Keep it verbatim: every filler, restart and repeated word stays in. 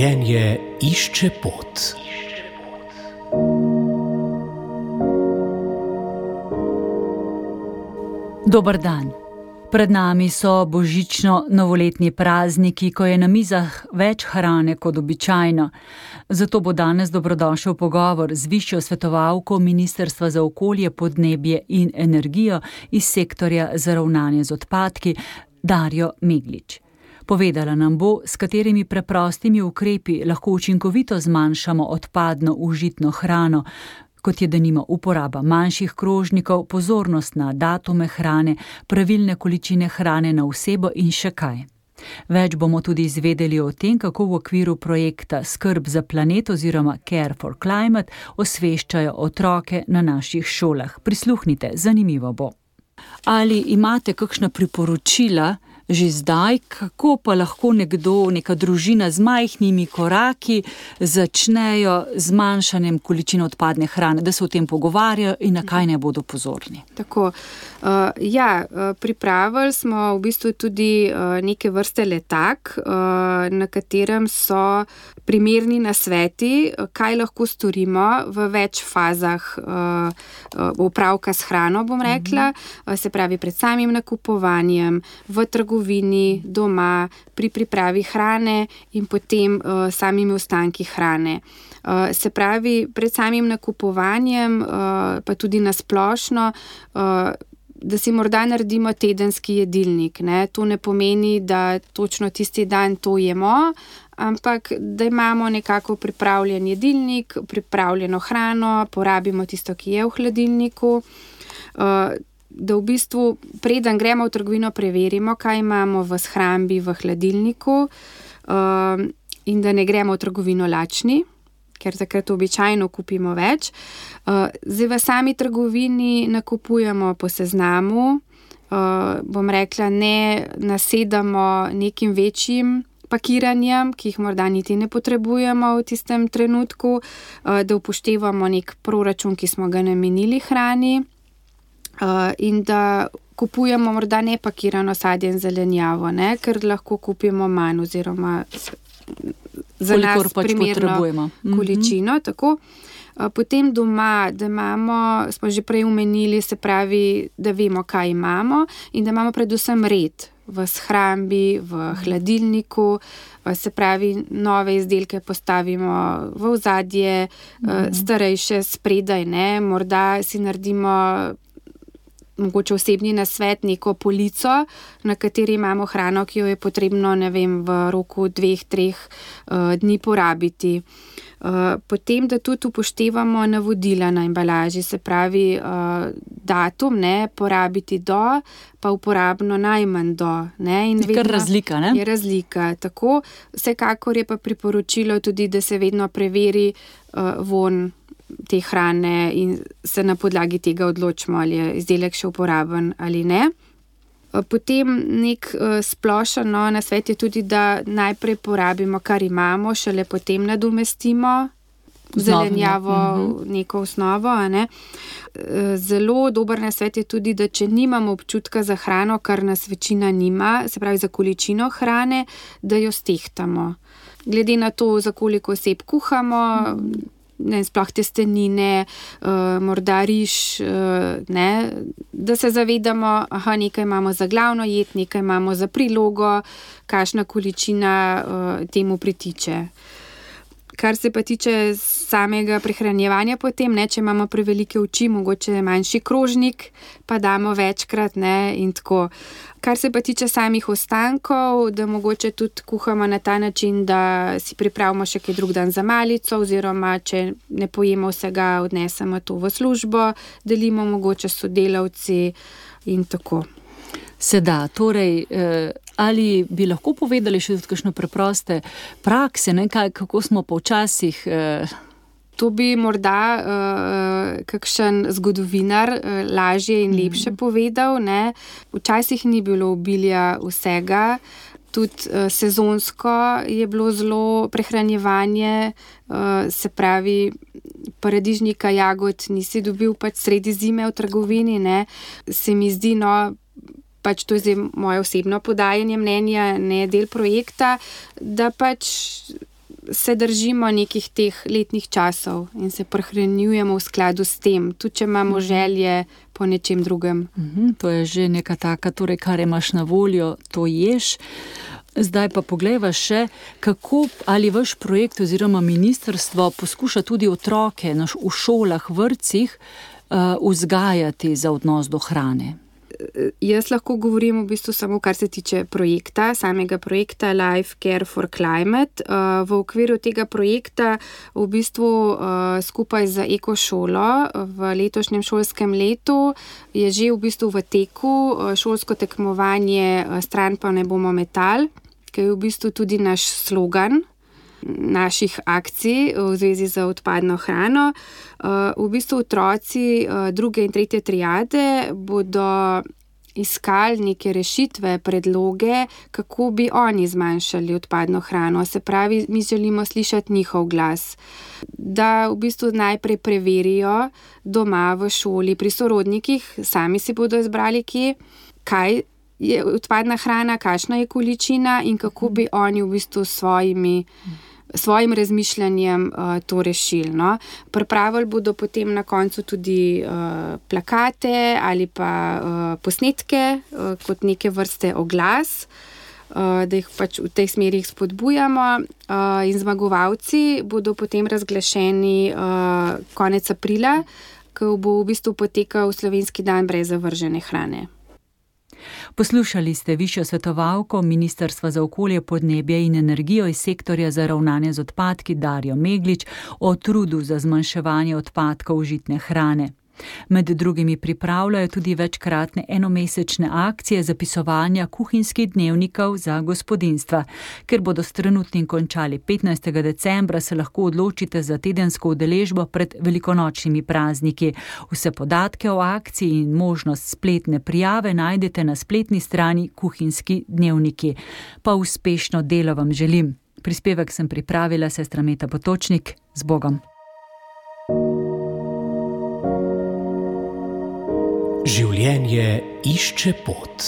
Življenje išče pot. Dober dan. Pred nami so božično-novoletni prazniki, ko je na mizah več hrane kot običajno. Zato bo danes dobrodošel pogovor z višjo svetovalko Ministrstva za okolje, podnebje in energijo iz sektorja za ravnanje z odpadki, Darjo Meglič. Povedala nam bo, s katerimi preprostimi ukrepi lahko učinkovito zmanjšamo odpadno užitno hrano, kot je denimo uporaba manjših krožnikov, pozornost na datume hrane, pravilne količine hrane na osebo in še kaj. Več bomo tudi izvedeli o tem, kako v okviru projekta Skrb za planet oziroma Care for Climate osveščajo otroke na naših šolah. Prisluhnite, zanimivo bo. Ali imate kakšna priporočila že zdaj, kako pa lahko nekdo, neka družina z majhnimi koraki začnejo z zmanjšanjem količine odpadne hrane, da se o tem pogovarjajo in na kaj ne bodo pozorni? Tako, uh, ja, pripravili smo v bistvu tudi uh, neke vrste letak, uh, na katerem so primerni nasveti, kaj lahko storimo v več fazah uh, upravka s hrano, bom rekla, uh-huh. Se pravi pred samim nakupovanjem, v trgovini, doma, pri pripravi hrane in potem uh, samimi ostanki hrane. Uh, se pravi, pred samim nakupovanjem, uh, pa tudi nasplošno, uh, da si morda naredimo tedenski jedilnik. Ne? To ne pomeni, da točno tisti dan to jemo, ampak da imamo nekako pripravljen jedilnik, pripravljeno hrano, porabimo tisto, ki je v hladilniku, uh, da v bistvu preden gremo v trgovino preverimo, kaj imamo v shrambi, v hladilniku, uh, in da ne gremo v trgovino lačni, ker takrat običajno kupimo več. Uh, zdaj v sami trgovini nakupujemo po seznamu, uh, bom rekla, ne nasedamo nekim večjim pakiranjem, ki jih morda niti ne potrebujemo v tistem trenutku, uh, da upoštevamo nek proračun, ki smo ga namenili hrani, uh, in da kupujemo morda nepakirano sadje in zelenjavo, ne? Ker lahko kupimo manj oziroma za nas pač primerno količino. Mm-hmm. Tako. Potem doma, da imamo, smo že prej omenili, se pravi, da vemo, kaj imamo in da imamo predvsem red v shrambi, v hladilniku, se pravi, nove izdelke postavimo v ozadje, mm-hmm. starejše spredaj, ne, morda si naredimo mogoče osebni nasvet, neko polico, na kateri imamo hrano, ki jo je potrebno, ne vem, v roku dveh, treh uh, dni porabiti. Uh, potem, da tudi upoštevamo navodila na embalaži, se pravi uh, datum, ne, porabiti do, pa uporabno najmanj do. Ne, in je kar razlika, ne? Je razlika, tako. Vsekakor je pa priporočilo tudi, da se vedno preveri uh, von te hrane in se na podlagi tega odločimo, ali je izdelek še uporaben ali ne. Potem nek splošen no, nasvet je tudi, da najprej porabimo, kar imamo, šele potem nadomestimo zelenjavo, neko osnovo. A ne. Zelo dober nasvet je tudi, da če nimamo občutka za hrano, kar nas večina nima, se pravi za količino hrane, da jo stehtamo. Glede na to, za koliko oseb kuhamo, mm. Ne, sploh testenine, uh, morda riž, uh, ne, da se zavedamo, aha, nekaj imamo za glavno jed, nekaj imamo za prilogo, kakšna količina uh, temu pritiče. Kar se pa tiče samega prehranjevanja potem, ne, če imamo prevelike oči, mogoče manjši krožnik, pa damo večkrat, ne, in tako. Kar se pa tiče samih ostankov, da mogoče tudi kuhamo na ta način, da si pripravimo še kaj drug dan za malico, oziroma če ne pojemo vsega, odnesemo to v službo, delimo mogoče s sodelavci in tako. Seda, torej, eh, ali bi lahko povedali še tudi kakšne preproste prakse, ne, kaj, kako smo pa včasih... Eh... To bi morda uh, kakšen zgodovinar uh, lažje in lepše mm. povedal. Ne? Včasih ni bilo obilja vsega, tudi uh, sezonsko je bilo zelo prehranjevanje, uh, se pravi, paradižnika, jagod nisi dobil pač sredi zime v trgovini, ne? Se mi zdi, no, pač to je zdaj moje osebno podajanje mnenja, ne del projekta, da pač se držimo nekih teh letnih časov in se prehranjujemo v skladu s tem, tudi če imamo želje po nečem drugem. Mhm, to je že neka taka, torej kar imaš na voljo, to ješ. Zdaj pa poglejva še, kako ali vaš projekt oziroma ministrstvo poskuša tudi otroke v šolah, vrtcih uh, vzgajati za odnos do hrane. Jaz lahko govorim v bistvu samo, kar se tiče projekta, samega projekta Life Care for Climate. V okviru tega projekta v bistvu skupaj z Ekošolo v letošnjem šolskem letu je že v bistvu v teku šolsko tekmovanje Stran pa ne bomo metal, ki je v bistvu tudi naš slogan naših akcij v zvezi z odpadno hrano. V bistvu otroci druge in tretje triade bodo iskali neke rešitve, predloge, kako bi oni zmanjšali odpadno hrano. Se pravi, mi želimo slišati njihov glas. Da v bistvu najprej preverijo doma v šoli, pri sorodnikih, sami si bodo izbrali, kje, kaj je odpadna hrana, kakšna je količina in kako bi oni v bistvu svojimi svojim razmišljanjem uh, to rešili. No. Pripravili bodo potem na koncu tudi uh, plakate ali pa uh, posnetke uh, kot neke vrste oglas, uh, da jih pač v tej smeri spodbujamo uh, in zmagovalci bodo potem razglašeni uh, konec aprila, ko bo v bistvu potekal Slovenski dan brez zavržene hrane. Poslušali ste višjo svetovalko Ministrstva za okolje, podnebje in energijo iz sektorja za ravnanje z odpadki Darjo Meglič o trudu za zmanjševanje odpadkov žitne hrane. Med drugimi pripravljajo tudi večkratne enomesečne akcije zapisovanja kuhinjskih dnevnikov za gospodinjstva. Ker bodo s trenutnim končali petnajstega decembra, se lahko odločite za tedensko udeležbo pred velikonočnimi prazniki. Vse podatke o akciji in možnost spletne prijave najdete na spletni strani Kuhinjski dnevniki. Pa uspešno delo vam želim. Prispevek sem pripravila sestra Meta Potočnik. Z Bogom. Življenje išče pot.